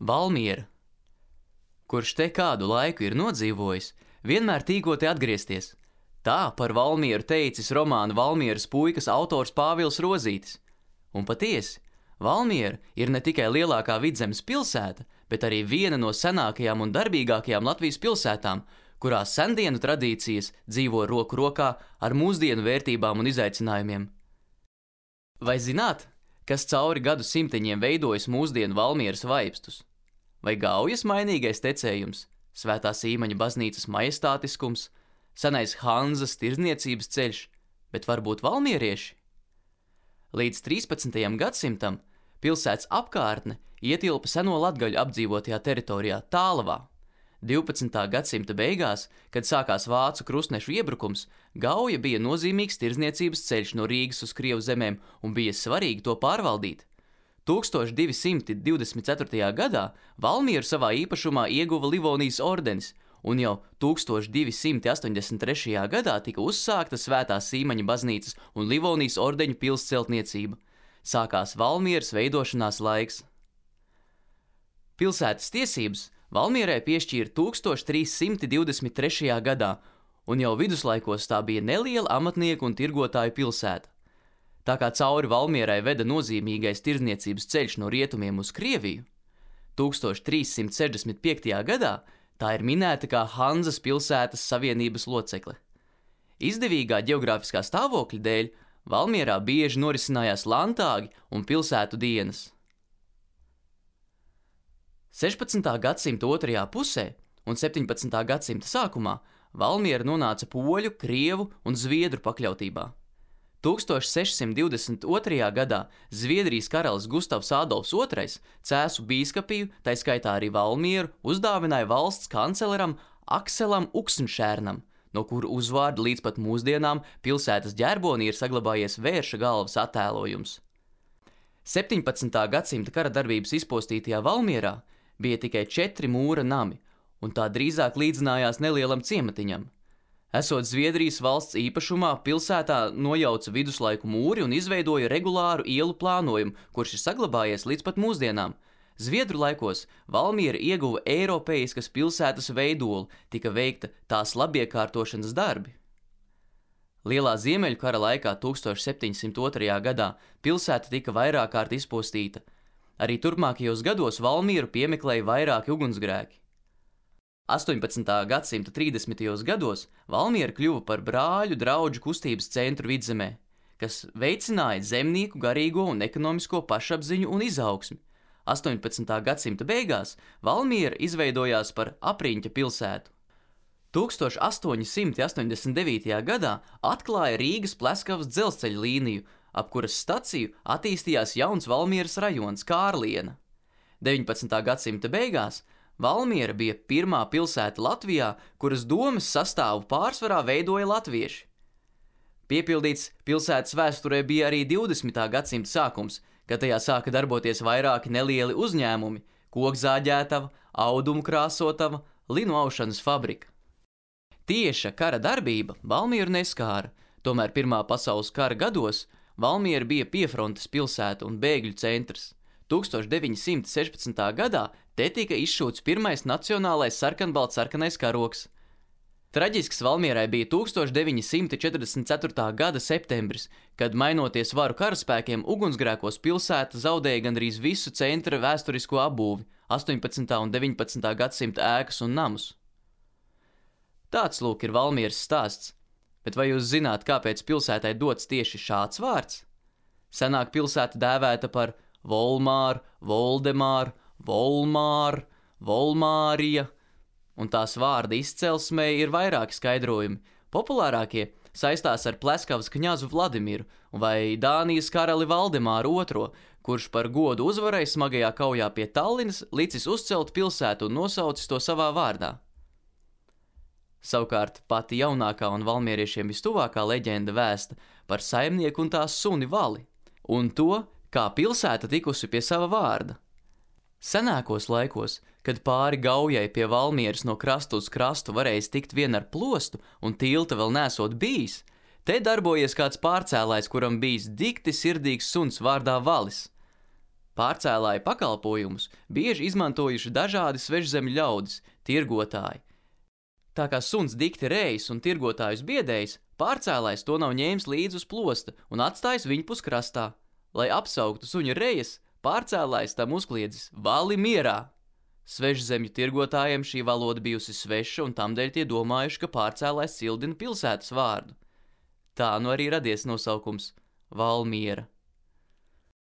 Valmiera, kurš te kādu laiku ir nodzīvojis, vienmēr tīko te atgriezties. Tā par Valmieru teicis romāna Valmieras puikas autors Pāvils Rozītis. Un patiesi, Valmiera ir ne tikai lielākā Vidzemes pilsēta, bet arī viena no senākajām un darbīgākajām Latvijas pilsētām, kurās sendienu tradīcijas dzīvo roku rokā ar mūsdienu vērtībām un izaicinājumiem. Vai zināt, kas cauri gadu simteņiem veidojas mūsdienu Valmieras vaipstus? Vai Gaujas mainīgais tecējums, Svētā Sīmaņa baznīcas majestātiskums, senais Hanzas tirdzniecības ceļš, bet varbūt valmierieši? Līdz 13. gadsimtam pilsētas apkārtne ietilpa seno latgaļu apdzīvotajā teritorijā Tālavā. 12. gadsimta beigās, kad sākās vācu krustnešu iebrukums, Gauja bija nozīmīgs tirdzniecības ceļš no Rīgas uz Krievu zemēm un bija svarīgi to pārvaldīt. 1224. gadā Valmieru savā īpašumā ieguva Livonijas ordenis, un jau 1283. gadā tika uzsākta Svētā Sīmaņa baznīcas un Livonijas ordeņu pils celtniecība. Sākās Valmieras veidošanās laiks. Pilsētas tiesības Valmierai piešķīra 1323. gadā, un jau viduslaikos tā bija neliela amatnieku un tirgotāju pilsēta. Tā kā cauri Valmierai veda nozīmīgais tirdzniecības ceļš no rietumiem uz Krieviju, 1365. gadā tā ir minēta kā Hanzas pilsētas savienības locekle. Izdevīgā ģeogrāfiskā stāvokļa dēļ Valmierā bieži norisinājās lantāgi un pilsētu dienas. 16. gadsimta otrajā pusē un 17. gadsimta sākumā Valmiera nonāca poļu, krievu un zviedru pakļautībā. 1622. gadā Zviedrijas karalis Gustavs Ādolfs II Cēsu bīskapiju, tai skaitā arī Valmieru, uzdāvināja valsts kanceleram Akselam Uksenšērnam, no kura uzvārda līdz pat mūsdienām pilsētas ģerbonī ir saglabājies vērša galvas attēlojums. 17. gadsimta kara darbības izpostītajā Valmierā bija tikai 4 mūra nami, un tā drīzāk līdzinājās nelielam ciematiņam. Esot Zviedrijas valsts īpašumā, pilsētā nojauca viduslaiku mūri un izveidoja regulāru ielu plānojumu, kurš ir saglabājies līdz pat mūsdienām. Zviedru laikos Valmiera ieguva eiropeiskas pilsētas veidolu, tika veikta tās labiekārtošanas darbi. Lielā Ziemeļu kara laikā 1702. gadā pilsēta tika vairāk kārt izpostīta. Arī turpmākajos gados Valmieru piemeklēja vairāki ugunsgrēki. 18. gadsimta 30. gados Valmiera kļuva par brāļu draugu kustības centru Vidzemē, kas veicināja zemnieku garīgo un ekonomisko pašapziņu un izaugsmi. 18. gadsimta beigās Valmiera izveidojās par apriņķa pilsētu. 1889. gadā atklāja Rīgas Pleskavas dzelzceļa līniju, ap kuras staciju attīstījās jauns Valmieras rajons Kārliena. 19. gadsimta beigās Valmiera bija pirmā pilsēta Latvijā, kuras domes sastāvu pārsvarā veidoja latvieši. Piepildīts pilsētas vēsturē bija arī 20. gadsimta sākums, kad tajā sāka darboties vairāki nelieli uzņēmumi – kokzāģētava, audumu krāsotava, linu aušanas fabrika. Tieša kara darbība Valmieru neskāra, tomēr Pirmā pasaules kara gados Valmiera bija piefrontes pilsēta un bēgļu centrs. 1916. gadā te tika izšūts pirmais nacionālais sarkanbaltsarkanais karogs. Traģisks Valmierai bija 1944. gada septembris, kad mainoties varu karaspēkiem ugunsgrēkos pilsēta zaudēja gandrīz visu centra vēsturisko apbūvi, 18. un 19. gadsimta ēkas un namus. Tāds lūk ir Valmieras stāsts, bet vai jūs zināt, kāpēc pilsētai dots tieši šāds vārds? Senāk pilsēta dēvēta par Volmāru, Voldemāru, Volmāru, Volmārija, un tās vārda izcelsmei ir vairāki skaidrojumi. Populārākie saistās ar Pleskavas kņazu Vladimiru vai Dānijas karali Valdemāru II, kurš par godu uzvarai smagajā kaujā pie Tallinas licis uzcelt pilsētu un nosaucis to savā vārdā. Savukārt pati jaunākā un valmieriešiem vistuvākā leģenda vēsta par saimnieku un tās suni Vali, un to, kā pilsēta tikusi pie sava vārda. Senākos laikos, kad pāri Gaujai pie Valmieras no krasta uz krastu varējis tikt vien ar plostu un tilta vēl nesot bijis, te darbojies kāds pārcēlājs, kuram bijis dikti sirdīgs suns vārdā Valis. Pārcēlāju pakalpojumus bieži izmantojuši dažādi svežzemju ļaudis, tirgotāji. Tā kā suns dikti rējis un tirgotājus biedējis, pārcēlājs to nav ņēmis līdzi uz plosta un atstājis viņpus krastā. Lai apsauktu suņa rejas, pārcēlājs tam uzkliedzis: "Vali mierā!" Svežzemju tirgotājiem šī valoda bijusi sveša un tamdēļ tie domājuši, ka pārcēlājs cildina pilsētas vārdu. Tā nu arī radies nosaukums Valmiera.